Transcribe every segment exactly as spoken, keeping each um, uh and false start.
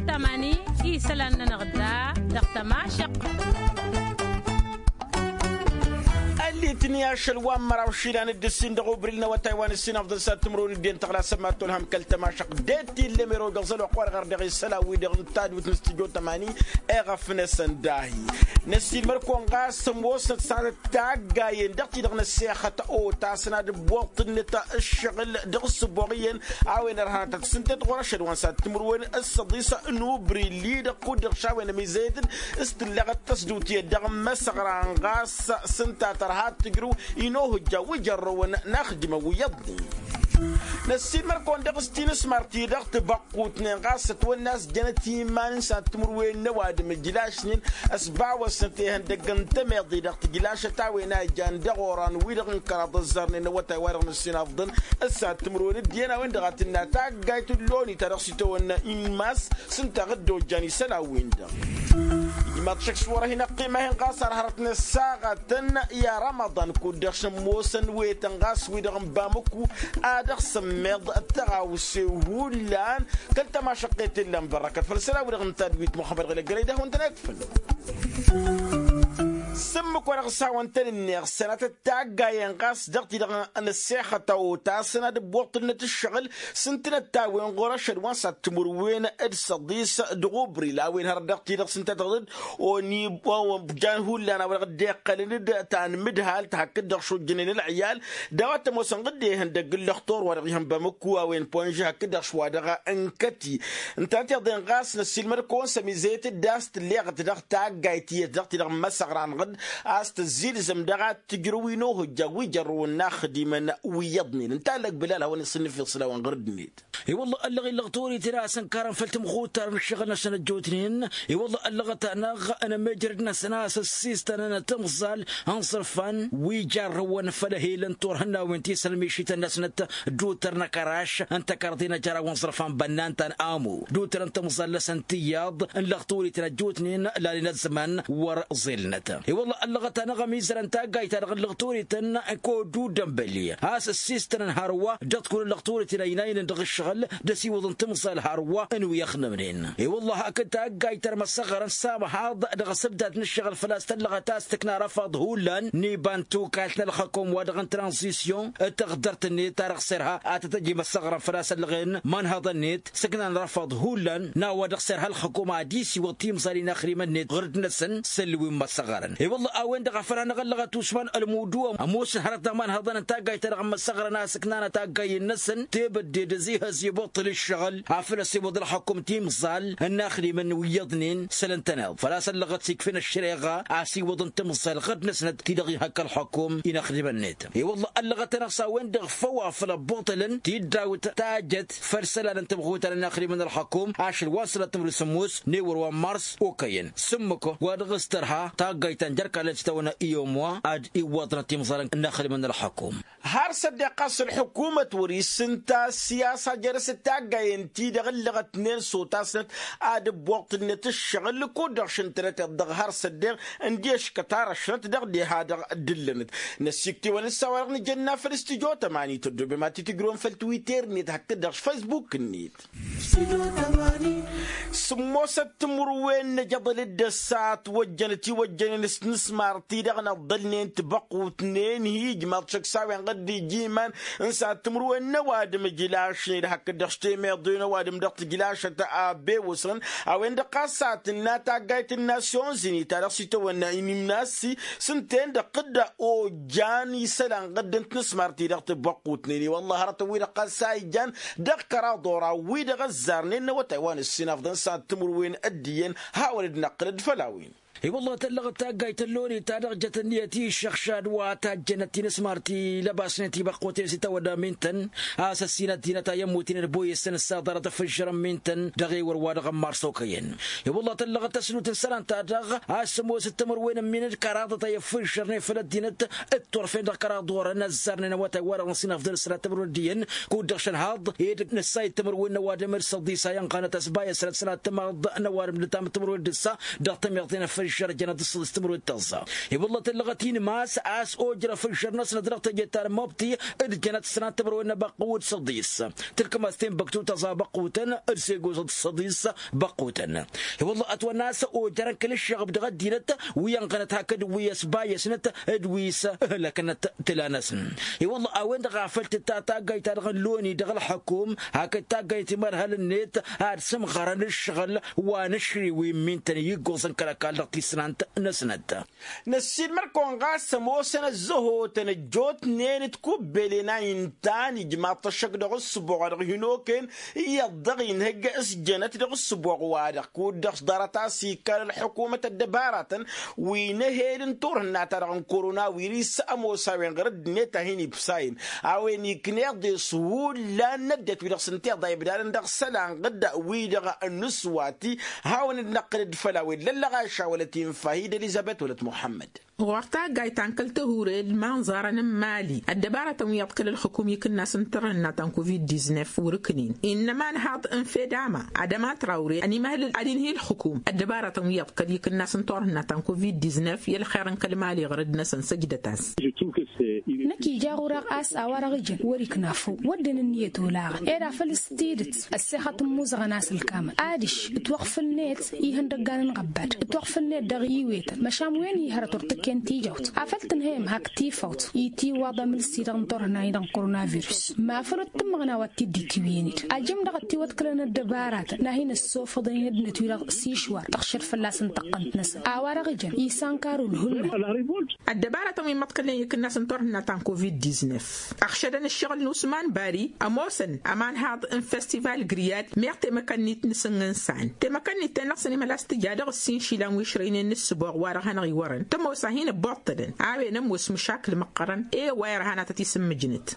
Tămani isălan-nănăɣ da dăɣ-tămašăq. Ăllit n-i ašăl wa n-măraw išilan d-ǝssin dăɣ-ubri n-awătay wa n-ǝssin afḍăn s-ad-timǝrwen d-iyyăn tăɣla sămmat tolhăm kăl-tămašăq d-e t-illa mero dăɣ-zăl oqq wa dăɣ-ărdăɣ isălan-wi-dăɣ n-tadwit n-stujo tămani. Eɣăf-năsăn dahi năssiilmăr-kăwăn ɣas ămoosnăt s-ad-ăttaggayen dăɣ-ti-dăɣ n-ăssexăt otasăn ad-ǝbboḍ-tǝnnǝt ǝššăɣǝl dăɣ-ǝssǝboɣ iyyăn a-wen ărhanătăt s-ǝnta-t ɣur-ašăl wa n-sad-timǝrwen ǝssăḍis n-ubri-li-dăɣ kud-dăɣ šawen ămizăyăt-dd s-tǝlleɣăt tăsdut iyyăt dăɣ-imăsăɣran ɣas s-ǝnta tărha ad-tǝjrǝw inohǝjja wi jărrăwăn n-axdimăn wi iyyăḍnen. Năssiilmăr-kăwăn dăɣ-s tinǝsmar-ti-dăɣ tibăqqutnen ɣas ătwănna a-s jănăt iman n-sad-timǝrwen n-ăwadǝm ǝjlašnen ăsbawăsnăt ihăndăgg n-temeḍe-dăɣ tǝjlašăt a-wen a ijan dăɣ-oran-wi-dăɣ n-kăraḍ ăzzarnen n-awătay wa dăɣ-nǝssin afḍăn. S-ad-timǝrwen d-iyyăn a-wen-dăɣ a tǝnna taggayt n-loni ta dăɣ-s itawănna inmas s-ǝnta ɣǝdda ojjan isălan-win-dăɣ. Ijmaḍ šăkk s-wăr-hin-ăqqima-hin ɣas ar hărăt n-ăssaɣătăn i-arămăḍan kud-dăɣ šămmosăn wetăn ɣas wi-dăɣ n-bamǝku ad-dăɣ-sămmeḍ tăɣawse hullan. Kăl-tămašăqqet illa n-bărrăkăt făll-isălan-wi-dăɣ n-tadwit muxămmăd ɣǝlăggărăy d-ad-hawăn-tăn-ekfǝn. S-ǝmmǝk wa dăɣ-s hawăn-tăn-ǝnneɣ sănatăt taggayen ɣas dăɣ-ti-dăɣ n-ăssexăt a otasăn ad-ǝbbuṭṭǝlnăt ǝššăɣǝl s-ǝntǝnăt-a-wen ɣur-ašăl wa n-sad-timǝrwen d-săḍis dăɣ-ubril a-wen hărăt dăɣ-ti-dăɣ s-ǝnta tăɣ-dd oni jan hullan a-wa dăɣ-dd-iqqălăn d-tanmǝdhalt hakd-dăɣ šojjănen ălɣiyal d-a-wa t-ămoosăn ɣǝdde ihăndăgg n-lăxtur wa dăɣ-ihăn bamǝkku a-wen ponže hakd-dăɣ šwa dăɣ-ănkăti. Ǝnta tiḍen ɣas năssiilmăd-kăwăn s-ămizăyăt d-a-s tǝlleɣăt dăɣ-taggayt tiyyăt dăɣ-ti-dăɣ n-imăsăɣran ɣǝd a-s tăzzilzăm dăɣ-ad-tǝjrǝw inohǝjja wi jărrăwăn n-axdimăn wi iyyăḍnen ǝnta a ăllăg bǝlal hawăn-isǝnnǝf iṣla-wăn ɣur-dd-net. I-wălla ăllăɣ-i ǝllăɣ torităn a-s ǝnkarăn făll-timɣuttar n-ǝššăɣǝl-năsăn ăjjootnen. I-wălla ăllăɣăt-anăɣ n-emejrăd-năsăn a-s ăssiistănăn timẓal n-iẓrǝfan wi jarrăwăn făll-ehel n-turhǝnnawen ti s-ălmišităn-năsnăt d-utăr n-akăraš n-tăkarḍe n-ajăraw n-iẓrǝfan bănnan ta n-amu d-utăr n-timẓal-năsăn ti iyyăḍ n-lăɣ torităn ăjjootnen lanen ăzzăman wăr-ẓilnăt. I-wălla ăllăɣăt-anăɣ ămizărăn taggayt-ta-dăɣ n-lăɣ torităn kodu dămbăli a-s ăssiistănăn hărwa dăɣ-t kull ăllăɣ torităn ăynaynen dăɣ-ǝššăɣǝl d-ăsiwǝḍăn timẓal hărwa n-wi ăxnămnen. I-wălla hakd taggayt ta dăɣ-măsăɣărăn s-amăhaḍ dăɣ-asǝbdat n-ǝššăɣǝl făl-a-s tăllăɣăt a-s tǝkna răfaḍ hullan n-iba n-tukalt n-ălxăkum wa dăɣ-n tranzisyon d-taɣdărt-net ta dăɣ-s irha ad-tăt-ăj imăsăɣrăn făl-a-s ăllăɣen manhăḍăn-net sǝknan răfaḍ hullan n-a-wa dăɣ-s irha ălxăkum ad-isiwǝḍ timẓal inaxrimăn-net ɣur-dd-năsăn s-ǝllǝw i n-imăsăɣrăn. I-wălla a-wen-dăɣ a făl hanăɣ-ăllăɣăt usman ălmudu ămoosăn hărăt n-amanhăḍăn n-taggayt-ta-dăɣ n-imăsăɣrăn a-s ǝknanăt aggayen-năsăn tebădde d-ăzihăz ibuṭṭǝl ǝššăɣǝl afăl ăsiwǝḍ ălxăkum timẓal n-inaxdimăn wi iyyăḍnen săl ǝntăneḍ făl-a-s ăllăɣăt s-ikfăn ăššăreɣa a-s iwǝḍăn timẓal ɣǝd-năsnăt ti-dăɣ ihăkk ălxăkum inaxdimăn-net. I-wălla ăllăɣăt-anăɣ s-a-wen-dăɣ făw afăl ăbbuṭălăn tiddawt tajăt făll-isălan n-timɣutar inaxdimăn ălxăkum ašăl wa n-sănat timǝrwen s-ămmus n-ewăr wa n-mars okăyăn s-ǝmmǝk wa dăɣ-s tărha taggayt ta n-jerkal ti-tawănna i-omwa ad-iwwăḍnăt timẓal n-inaxdimăn ălxăkum. Har s-ăddeɣ ɣas ălḥukumăt wăr-isǝnta ăssiyasa jer-s d-taggayen-ti-dăɣ ǝllăɣătnen s-otasnăt ad-ǝbbuṭṭǝlnăt ǝššăɣǝl kud-dăɣ šǝntănăt iḍ-dăɣ har s-ăddeɣ ǝndiy ăškăt arăšnăt dăɣ-deha-dăɣ d-ǝllănăt. Năsiktewăn s-a-wa-dăɣ nǝjănna făll-studyo tămani tăddoobem ad-t-tǝjrǝwăn făll-twitter-net hakd-dăɣ s-facebook-net. S-ămoosăt timǝrwen n-ejăḍăl d-ăssa ătwăjjăn ătiwăjjănen s-inǝsmar-ti-dăɣ năḍḍălnen tibăqqutnen hi-ijmaḍ šăkk s-a-wen ɣǝddi ija iman n-sad-timǝrwen n-ăwadǝm ǝjlašnen hakd-dăɣ s-temeḍe n-ăwadǝm dăɣ-tǝjlašăt a bewăsnăn a-wen-dăɣ ɣas a tǝnna taggayt n-nasyon zini ta dăɣ-s itawănna inimnasi s-ǝnta-en-dăɣ dd-ojjan isălan ɣǝdd n-tinǝsmar-ti-dăɣ tibăqqutnen i-wălla hărătăn-wi-dăɣ ɣas a ijan dăɣ-kăraḍ oran-wi-dăɣ ăzzarnen n-awătay wa n-ǝssin afḍăn s-ad-timǝrwen dd-iyyăn hawăn-dd-năqqǝlăd făll-a-wen. I-wălla tăllăɣăt taggayt tălloni ta dăɣ-jăt ǝnniyăt i-iššăɣšad wa tajjănăt tinǝsmar ti lăbasnen tibăqquten s-itawădda mintăn a-s ăssin ăddinăt a i-ămmuten d-boyăsăn ǝssaḍarăt ăffǝžžărăn mintăn dăɣ-ewăr wa dăɣ-n mars okăyăn. I-wălla tăllăɣăt tăsnut n-isălan-ta-dăɣ a-s ămoos d-timǝrwen ǝmminăn d-kăraḍăt a i-ăffǝžžărnen făll-ăddinăt d-turfen dăɣ-kăraḍ orăn ăzzarnen awătay wa dăɣ-năsinăfḍăl s-sănat timǝrwen d-iyyăn kud-dăɣ šănhaḍ ed nǝssay d-timǝrwen n-ăwadǝm d-săḍisa i-ănɣanăt ăsbayăsrăt sănat timaḍ n-ăwadǝm d-tam timǝrwen d-ǝssa dăɣ-tămiḍen ăffăl. Šăr jănăt s-săḍis timǝrwen tăẓẓa. I-wălla tǝllăɣăt-in mas a-s ojrăf ǝžžăr-năsnăt dăɣ-teje ta n-mobti d-jănăt s-sănat timǝrwen n-abăqqǝw d-săḍis. Tǝlkǝm-as tenbăktu tăẓa băqqutăn d-segoẓăt d-săḍis băqqutăn. I-wălla ătwănna a-s ojărăn kăl-ǝššăɣăb dăɣ-ăddinăt wi ănɣănăt hakd wi ăsbayăsnăt d-wi s-ǝhlăknăt tǝla-năsăn. I-wălla a-wen-dăɣ a făl tǝtta taggayt-ta-dăɣ n-loni dăɣ-ălxăkum hakd taggayt timărhal-net ad-sǝmɣărăn ǝššăɣǝl wa n-ašriw immintăn i-iggoẓăn kăl-ăkall dăɣ-tisnant-năsnăt. Năssiinmăr-kăwăn ɣas ămoosăn ăzzăhotăn ăjjootnen d-kubbelen a intan ijmaḍ-t ăššăk dăɣ-ǝssǝboɣ wa dăɣ-hin-okăyăn iyyăḍ dăɣ-inhăjj s-jănăt dăɣ-ǝssǝboɣ-wa-dăɣ kud-dăɣ s-ḍarăt a-s ikkal ălḥukumăt ăddăbaratăn wi n-ehed n-turhǝnna-ta-dăɣ n-korona wiris ămoos a-wen ɣǝr-ăddinăt a hin-ibsayăn a-wen ikneḍ-e-s hullan n-ăddinăt wi-dăɣ s-ǝnta iḍa ibdadăn dăɣ-isălan ɣǝdda wi-dăɣ n-aswati. Hawăn-dd-năqqǝl-dd făll-a-wen lăllăɣ a išawălăt infa hi-dd-elizăbet wălăt muḥămmăd. Ɣur-taggayt ta n-kăl-tăhure d-imanẓarăn n-mali ăddăbarătăn wi iyyăḍ kăl-ălxǝkum ikǝnnas n-turhǝnna ta n-covid-diznef wăr-ǝknin. Innăma ănhaḍ n-fedama ad-ămatraure ănimăhlǝl ad-inhǝy ălxǝkum ăddăbarătăn wi iyyăḍ kăl-ikǝnnas n-turhǝnna ta n-covid-diznef i-ălxer n-kăl-mali ɣur-dd-năsăn săjdăt-as. Năkk ija ɣur-eɣ a-s a-wa-dăɣ ijăn wăr-ikna făw wădden ǝnniyăt olaɣăn ed afăl s-tidǝt ăssexăt n-imuzăɣăn a-s ǝlkamăn adiš ǝtwăɣfǝl-net ihăndăggan n-iɣăbbad ǝtwăɣfǝl-net dăɣ-iwetăn măšan wen ih' hărăt wăr tǝkken tijawt afăl tǝnhăyăm hak tifawt itiwaḍ amǝlsi-dăɣ n-turhǝnay-dăɣ n-korona virus. Mafăl wăr tǝmmăɣna wa t-dd-itwǝyăn-dd ajǝm dăɣ-ătiwăḍkǝlăn ăddăbaratăn n-ad-hin-ăssofăḍăn i-năddinăt-wi-dăɣ s-išwar tăɣšăd fălla-săn tăqqăn-t-năsăn a-wa-dăɣ ijăn isankar ulhullan. Ăddăbarătăn wi măḍkălnen ikǝnnas n-turhǝnna ta n-covid-diznef ăɣšădăn ǝššăɣǝl n-usman bari ămoosăn ămanhaḍ n-festival griyad meɣ temăkănnit n-asǝnnǝnsan temăkănnit-ten-dăɣ s-ănimhăl a-s tǝja dăɣ-ǝssin išilan wi ǝšrăynen n-ǝssǝboɣ wa-dăɣ hanăɣ-iwărăn tămoos a hin-ăbbuḍtădăn a-wen ămoos măšakǝl măqqărăn. E-wa irhan ad-tăt-isǝmmǝjnăt.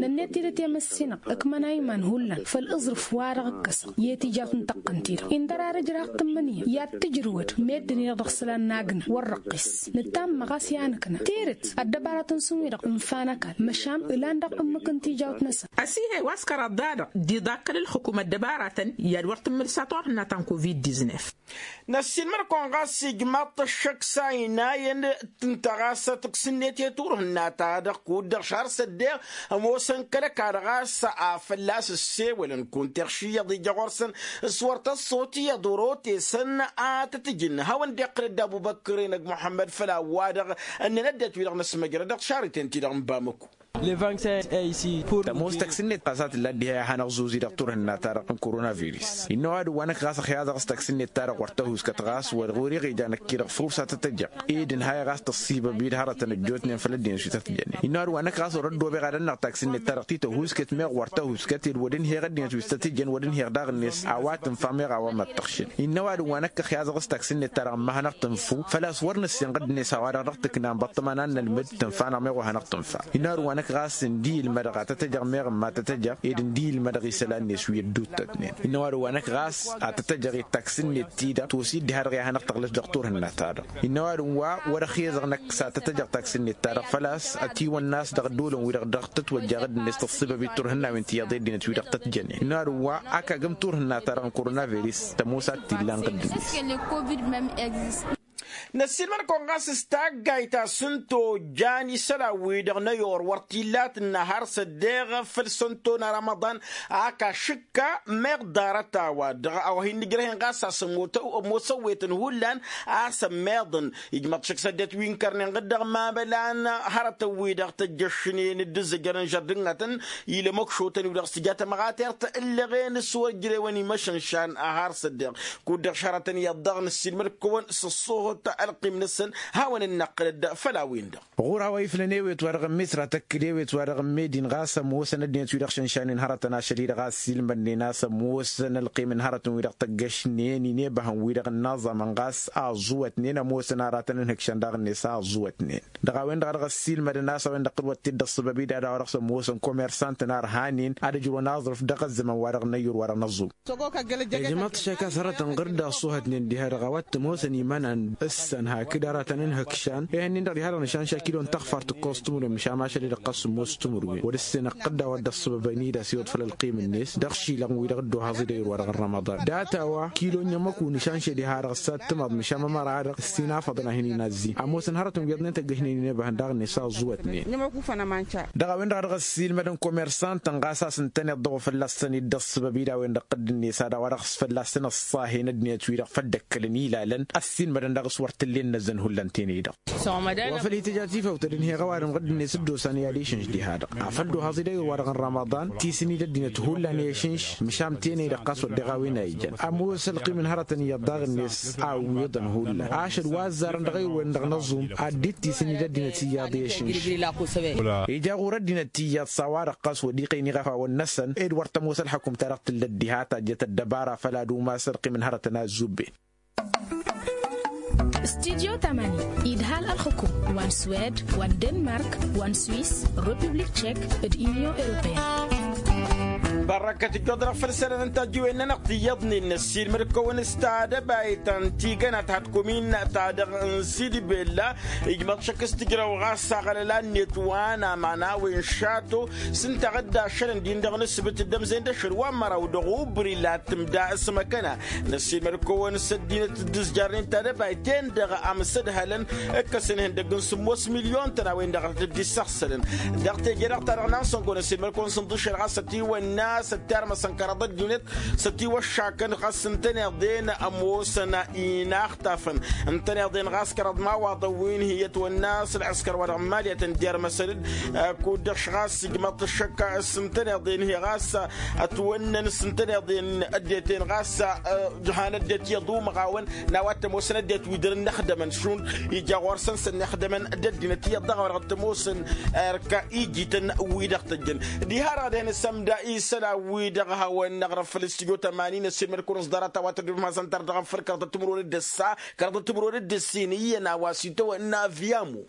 Nănnet tidǝt i-măssinăɣ ǝkmăn a iman hullan făll-aẓrǝf wa-dăɣ ǝkkăsăɣ i-tijawt n-tăqqăn-ti-dăɣ indăr ar ǝjrah tǝmmǝnǝya i-ad-tǝjrǝwăd meddǝn-i-dăɣ dăɣ-isălan n-agna wăr-răqqis. Nǝtammăɣ a-s i-ad-nǝkna teret ăddăbarătăn-săn-wi-dăɣ ǝnfa n-ăkall măšan ǝlan dăɣ-ǝmmǝk n-tijawt-năsăn. Ăsihăy wa s-kăraḍ-da-dăɣ d-iḍa kăl-ǝlxǝkum ăddăbarătăn i-ad-wăr tǝmmǝlǝsa turhǝnna ta n-covid-diznef. Năssiinmăr-kăwăn ɣas ijmaḍ-t ăššăk s-a inayăn tǝnta ɣas tǝksǝnnet i-turhǝnna-ta-dăɣ kud-dăɣ šar s-ăddeɣ ămoosăn kăl-ăkall ɣas a fălla-s ăssewălăn kunta iɣš iyyăḍ ija ɣur-săn s-wăr tăṣṣot iyyăḍ orotesăn a tăt-ǝjǝn hawăn-dd-iqqǝl dd-abubăkr-enăg muḥămmăd făll-a-wa-dăɣ ǝnnăn ăddinăt-wi-dăɣ n-asmăjrăd dăɣ-šarităn-ti-dăɣ n-bamăku. Tămoos tăksǝnnet ɣas a tǝlla dd-iha i-ad-hanăɣ-zuzi dăɣ-turhǝnna-ta-dăɣ n-koronavirus innă ăwadǝm wa năkk ɣas ăxyaẓăɣ s-tăksǝnnet-ta-dăɣ wăr tăhuskăt ɣas wăr ɣur-iɣija năkk-i-dăɣ făw s-ad-tăt-ăjăɣ ed ǝnhayăɣ a-s tăṣṣibăb-dd hărătăn ăjjootnen făll-ăddinăt wi tăt-jănnen innă ăwadǝm wa năkk ɣas wăr-ăddoobeɣ ad-ănnăɣ tăksǝnnet-ta-dăɣ ti tăhuskăt meɣ wăr tăhuskăt ed wăr dd-inheɣ ăddinăt wi s-tăt-ijăn wăr dd-inheɣ daɣ-net a-wa tǝnfa meɣ a-wa mad-tăɣšǝn. Innă ăwadǝm wa năkk ăxyaẓăɣ s-tăksǝnnet-ta-dăɣ ǝmma hanăɣ-tǝnfu făl-a-s wăr nǝssinɣ ăddinăt a-wa-dăɣ dăɣ-tǝkna n-băṭṭăma n-ad-nălmǝd tǝnfa-năɣ meɣ wa hanăɣ-tǝnfa. Innă ăwadǝm wa năkk ɣas ǝndi ilmădăɣ a tăt-ăjăɣ meɣ ǝmma tăt-ăjăɣ ed ǝndi ilmădăɣ isălan-net wi ădduuttătnen innă ăwadǝm wa năkk ɣas a tăt-ăjăɣ i-tăksǝnnet-ti-dăɣ tosi dd-iha-dăɣ i-ad-hanăɣ tăɣlăš dăɣ-turhǝnna-ta-dăɣ. Innă ăwadǝm wa wăr-ăxyăẓăɣ năkk s-ad-tăt-ăjăɣ tăksǝnnet-ta-dăɣ făl-a-s ătiwănna a-s dăɣ-ăddoolăn wi-dăɣ dăɣ-tătwăjja ɣǝddǝnet tăṣṣibăb i-turhǝnnawen ti iyyăḍ i-ăddinăt wi-dăɣ tăt-jănen innă ăwadǝm wa ak agǝm turhǝnna-ta-dăɣ n-koronavirus tămoos a t-illa n-ɣǝddǝnet. Năssiinmăr-kăwăn ɣas s-taggayt ta s-ǝnta ojjan isălan-wi-dăɣ n-ăyor wăr t-illa tǝnna har s-ăddeɣ făll-sănto n-arămăḍan. Ak ašǝkka meɣ ḍarăt-a-wa-dăɣ a-wa hin-nǝjrăhen ɣas a-s ămoos ăwwetăn hullan a-s ămmeḍăn ijmăḍ šăkk s-ăddinăt wi n-kărnen ɣǝddăɣ mamălan hărătăn-wi-dăɣ tăjjăšnen d-ǝzzǝjărăn žărdǝnnătăn. Ila măkšotăn-wi-dăɣ s-tǝja tămɣatert ǝllăɣen s-wăr ǝjrewăn imăšănšan a har s-ăddeɣ kud-dăɣ šarătăn iyyăḍ daɣ năssiinmăr-kăwăn s-ăṣṣoohăt ălqim-năsăn. Hawăn-dd-năqqǝl dd-făll-a-wen-dăɣ. Ɣur-a-wa iflăn ewet wa-dăɣ n-misra tăkk d-ewet wa-dăɣ n-medin ɣas ămoosăn ăddinăt-wi-dăɣ šănšanen hărătăn ašăl-i-dăɣ a ăssiilmădnen a-s ămoosăn ălqim n-hărătăn-wi-dăɣ tăggăšnen inebăhăn-wi-dăɣ n-inaẓamăn ɣas a ăẓẓuwătnen ămoosăn aratăn ǝnhǝkšăn daɣ-net a ăẓẓuwătnen. Dăɣ-a-wen-dăɣ a dăɣ-ăssiilmădăn a-s a-wen-dăɣ tǝlwăt-t-dd ăṣṣăbăb-i d-ad-a-wa-dăɣ s-ămoosăn komersantăn a ărhanen ad-ǝjrǝwăn aẓrǝf dăɣ-ăzzăman wa-dăɣ n-ăyyur wa-dăɣ n-ăẓẓum. Ijmăḍ-t šăkk a-s hărătăn ɣǝr-dd a ăṣṣuhătnen diha-dăɣ a-wa t-ămoosăn imănan. Săn hakd arătăn n-hǝkšan ehăn-in-dăɣ diha-dăɣ nǝšanša kilo n-taɣfart ǝkkoẓ timǝrwen măšan mašăl-i-dăɣ ɣas sǝmmos timǝrwen wăr-ǝssin ăqqǝdda a-wa dd-ăṣṣăbăbăn-dd a-s iwăḍ făll-ălqim-net dăɣ-išilaɣ wi-dăɣ dd-ohaẓ-i d-ayǝr-wa-dăɣ n-rămăḍan. Data-wa kilo n-iyyăm ăkun nǝšanša diha-dăɣ ăssatămăḍ măšan mămăra-dăɣ ǝssin afăḍăn a hin-in-azzin ămoosăn hărătăn wi ăḍnen tăggăšnen-in ebăhăn daɣ-net a ăẓẓuwătnen. Dăɣ-a-wen-dăɣ a dăɣ-ăssiilmădăn komersantăn ɣas a-s ǝntăneḍ dăɣ-u fălla-săn-dd ăṣṣăbăb-i d-a-wen-dăɣ tădd-net a-wa dăɣ-s fălla-săn ăṣṣahen ăddinăt-wi-dăɣ făll-dd-ăkkălăn ilalăn ăssiilmădăn daɣ-s wăr t-ǝllen inăzzăn hullan tenăy-dăɣ. Wa făl itǝja tifawt ad-ǝnheɣ ăwadǝm ɣǝdd-net dd-osan i-ad-išǝnš diha-dăɣ afăl d-ohaẓ-i d-ayǝr-wa-dăɣ n-rămăḍan tisǝni d-ăddinăt hullan i-išǝnš. Măšan tenăy-dăɣ ɣas wăr deɣ a-wen a ijăn ămoos ălqim n-hărătăn iyyăḍ daɣ-net a ǝwwiḍăn hullan ašăl wa ăzzarăn dăɣ-ayǝr-wen-dăɣ n-aẓum ad-dd-tisǝni d-ăddinăt iyyăḍ i-išǝnš. Ija ɣur-ăddinăt iyyăḍ s-a-wa-dăɣ ɣas wăr dd-iqqăyăn iɣăfawăn-năsăn ed wăr tămoos ălxăkum-ta-dăɣ tǝllăt diha tajjăt ăddăbara făll-ad-umas ălqim n-hărătăn a ăzzubben. Studyo tamani idhal ălxukum wa n-swed wa n-denmark wa n-swis, republik tšek, d-inyon europeyăn. Bărrăkăt ijjoḍ-dăɣ făll-isălan n-tajjiwen-nănăɣ tiyyăḍnen năssiilmăd-kăwăn s-tadăbayt ta n-tigăna ta d-kumin-ta-dăɣ n-sidibella. Ijmăḍ šăkk s-tǝjrăw ɣas aɣălăla-net wa n-aman a-wen šato s-ǝnta a dd-ašălăn din-dăɣ n-asǝbǝt d-ămzen d-ašăl wa n-măraw dăɣ-ubri la tǝmda s-măkăna. Năssiilmăd-kăwăn s-ăddinăt dd-ǝzjarnen tadăbayt-en-dăɣ amsădhălăn ǝkkăsăn ihăndăgg n-sǝmmos milyon-tăn a-wen-dăɣ a tăt-dd-issăɣsălăn. Dăɣ-teje-dăɣ-ta-dăɣ n-ansăngo năssiilmăd-kăwăn s-ǝnḍǝšel ɣas ătiwănna s-ăttarmăsăn kăraḍ-ăddinăt s-ătiwăššakăn ɣas ǝntăneḍ-en ămoosăn inaxtafăn. Ǝntăneḍ-en ɣas kăraḍ imawaḍăn wi n-hi-ătwănna s-ălɣǝskăr wa dăɣ-n mali a tăn-dd-irmăsăn-dd kud-dăɣ š-ɣas ijmăḍ-t ăššăk s-ǝntăneḍ-en hi-ɣas ătwănnăn s-ǝntăneḍ-en ăddinăt-en ɣas. Jăhan ăddinăt iyyăḍ umăɣawăn n-a-wa t-ămoosăn ăddinăt wi dăr-ǝnnăxdămăn šund ija ɣur-săn s-ănnăxdămăn d-ăddinăt iyyăḍ dăɣ-a-wa dăɣ-t-ămoosăn. Erk ijităn wi-dăɣ tăjjăn diha-dăɣ ad-hin-sămda isălan-wi-dăɣ a hawăn-năɣrăf făll-studyo tămanin ăssiilmăd-kăwăn s-ḍarăt a-wa tăddob mazăn tărdăɣăn făll-kăraḍăt timǝrwen d-ǝssa kăraḍăt timǝrwen d-ǝssin iyyăn a-wa s-itawănna avyamo.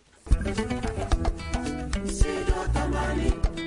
Studyo tămanin.